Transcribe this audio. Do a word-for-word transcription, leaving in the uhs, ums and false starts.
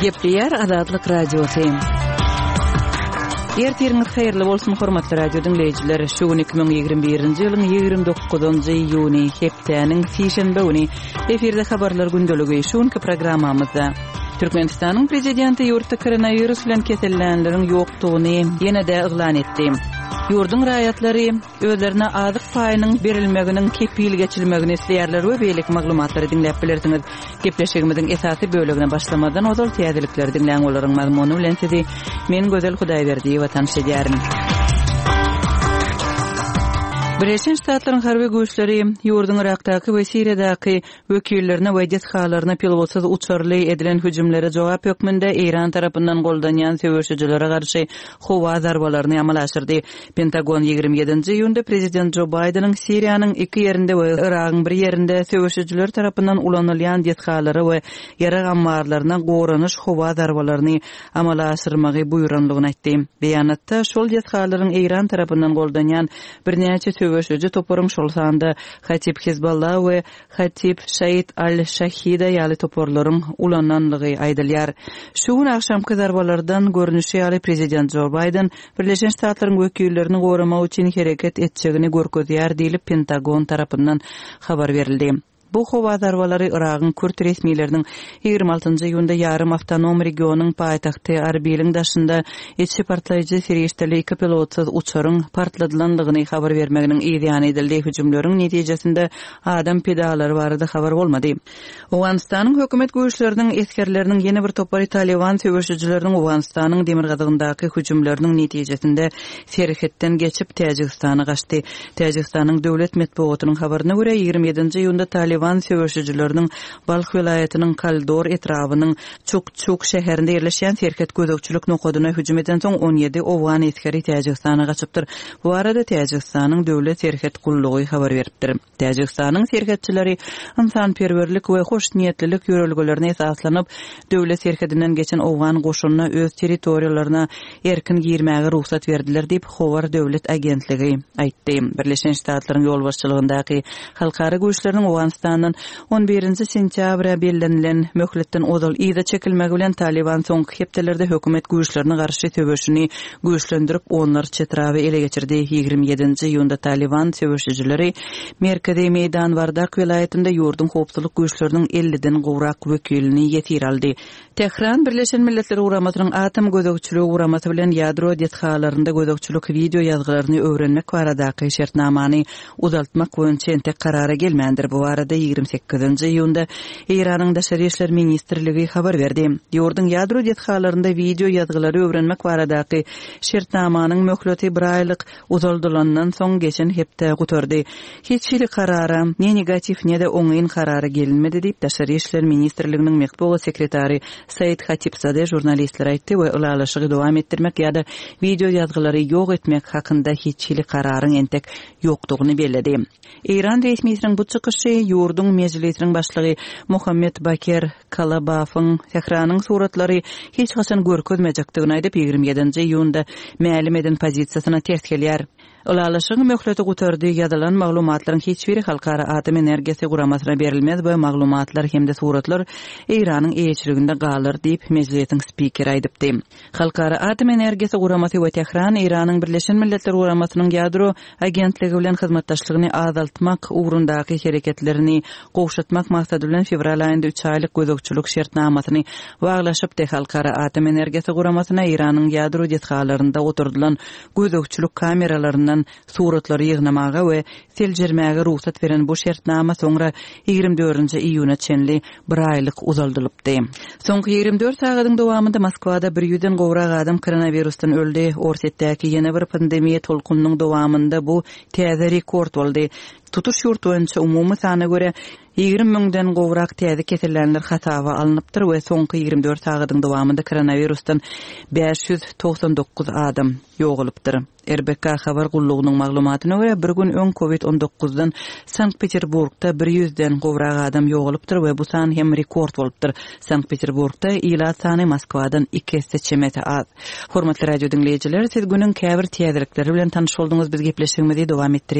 Gepleýär Azatlyk Radiosy. Ertiriňiz haýyrly bolsun, hormatly radio diňleýjiler. Şu gün iki müň ýigrimi birinji ýylyň ýigrimi dokuzynjy iýuny, hepdäniň sişenbe güni. Efirde habarlar gündeligi. Şu günki programmamyzda Türkmenistanyň prezidenti ýurtda koronawirus bilen kesellänleriň ýokdugyny ýene-de yglan etdi. Ýurduň raýatlary özlerine azyk paýynyň berilmeginiň kepil geçilmegini isleýärler we beýleki maglumatlary diňläp bilersiňiz. Gepleşigimiziň esasy bölegine başlamazdan ozal täzelikleri diňläň, olaryň mazmuny bilen sizi men Gözel Hudaýberdiýewa tanyş edýärin. Birleşen Ştatlaryň harby güýçleri ýurduň Yrakdaky we Siriýadaky wekillerine we desgalaryna pilotsyz uçarly edilen hüjümlere jogap hökmünde Eýran tarapyndan goldanýan söweşijilere garşy howa zarbalaryny amala aşyrdy. Pentagon ýigrimi ýedinji iýunda prezident Jo Baýdeniň Siriýanyň iki ýerinde we Yragyň bir ýerinde söweşijiler tarapyndan ulanylýan desgalara we ýarag ammarlaryna goranyş howa zarbalaryny amala aşyrmagy buýranlygyny aýtdy. Beýanatda şol desgalaryň Eýran tarapyndan goldanýan birnäçe söweşiji toparyň, şol sanda Hatip Hizballah we Hatip Şaid al-Şahida ýaly toparlaryň ulananlygy aýdylýar. Şu gün agşamky zarbalardan görnüşi ýaly prezident Jo Baýden Birleşen Ştatlaryň wekillerini goramak üçin hereket etjegini görkezýär diýlip Pentagon tarapyndan habar berildi. Bu howa zarbalary Yragyň kürt resmileriniň ýigrimi altynjy iýunda ýarym awtonom regionyň paýtagty Arbiliň daşynda içi partlaýjy serişdeli iki pilotsyz uçaryň partladylandygyny habar bermeginiň yz ýany edildi. Hüjümleriň netijesinde adam pidalary barada habar bolmady. Owganystanyň hökümet güýçleriniň esgerleriniň ýene bir topary Taliban söweşijileriniň Owganystanyň demirgazygyndaky hüjümleriniň netijesinde serhetden geçip Täjigistana gaçdy. Täjigistanyň döwlet metbugatynyň habaryna görä, ýigrimi ýedinji iýunda Taliban söweşijileriniň Balh welaýatynyň Kaldor etrabynyň Çuk-Çuk şäherinde ýerleşýän serhet gözegçilik nokadyna hüjüm edensoň on ýedi owgan esgeri Täjigistana gaçypdyr. Bu barada Täjigistanyň döwlet serhet gullugy habar beripdir. Täjigistanyň serhetçileri ynsanperwerlik we hoşniýetlilik ýörelgelerine esaslanyp, döwlet serhedinden geçen owgan goşunyna öz territoriýalaryna erkin girmäge rugsat berdiler diýip, Howar döwlet agentligi aýtdy. Birleşen Ştatlaryň ýolbaşçylygyndaky halkara güýçleriniň Owganystandan on birinji sentýabra bellenilen möhletden ozal yza çekilmegi bilen Taliban soňky hepdelerde hökümet güýçlerine garşy söweşini güýçlendirip, onlarça etraby ele geçirdi. Ýigrimi ýedinji iýunda Taliban söweşijileri Merkezi Meýdan Wardak welaýatynda ýurduň howpsuzlyk güýçleriniň elliden gowrak wekilini ýesir aldy. Tähran Birleşen Milletler Guramasynyň Atom gözegçiligi guramasy bilen ýadro desgalarynda gözegçilik wideo ýazgylaryny öwrenmek baradaky şertnamany uzaltmak boýunça entek karara gelmändir. Bu barada ýigrimi sekizinji iýunda Eýranyň Daşary işler ministrligi habar berdi. Ýurduň ýadro desgalarynda wideo ýazgylary öwrenmek baradaky şertnamanyň möhleti bir aýlyk uzaldylandan soň geçen hepde gutardy. Hiç hili karara, ne negatiw ne-de oňyn karara gelinmedi diýip Daşary işler ministrliginiň metbugat sekretary Said Hatipzade žurnalistlere aýtdy we ylalaşygy dowam etdirmek ýa-da wideo ýazgylary ýok etmek hakynda hiç hili kararyň entek ýokdugyny belledi. Eýran resmisiniň bu çykyşy ýurduň mejlisiniň başlygy Muhammed Baker Kalabafyň Tähranyň suratlary hiç haçan görkezmejekdigini aýdyp ýigrimi ýedinji iýunda mälim eden pozisiýasyna ters gelýär. Ylalaşygyň möhleti gutardy, ýazylan maglumatlaryň hiç biri Halkara Atom Energiýasy guramasyna berilmez we maglumatlar hem-de suratlar Eýranyň eýeçiliginde galar diýip mejlisiň spikeri aýdypdy. Halkara Atom Energiýasy guramasy we Tähran Eýranyň Birleşen Milletler Guramasynyň ýadro agentligi bilen hyzmatdaşlygyny azaltmak ugrundaky hereketlerini gowşatmak maksady bilen fewral aýynda üç aýlyk gözegçilik şertnamasyny baglaşypdy. Halkara Atom Energiýasy guramasyna Eýranyň ýadro desgalarynda oturdylan gözegçilik kameralaryndan suratlary ýygnamaga we seljermäge rugsat beren bu şertnama soňra ýigrimi dördünji iýuna çenli bir aýlyk uzaldylypdy. Soňky ýigrimi dört sagadyň dowamynda Moskwada bir ýüzden gowrak adam koronawirusdan öldi. Orsýetdäki ýene bir pandemiýa tolkunynyň dowamynda bu täze rekord boldy. Tutuş ýurt boýunça umumy sana görä ýigrimi müňden gowrak täze kesellänler hasaba alnypdyr we soňky ýigrimi dört sagadyň dowamynda koronawirusdan bäş ýüz togsan dokuz adam ýogalypdyr. R B K habar gullugynyň maglumatyna görä bir gün öň kovid on dokuzdan Sankt Peterburgda bir ýüzden gowrak adam ýogalypdyr we bu san hem rekord bolupdyr. Sankt Peterburgda ilat sany Moskwadan iki esse çemesi az. Hormatly radio diňleýjiler, siz günüň käbir täzelikleri bilen tanyş bolduňyz. Biz gepleşigimizi dowam etdirýäris.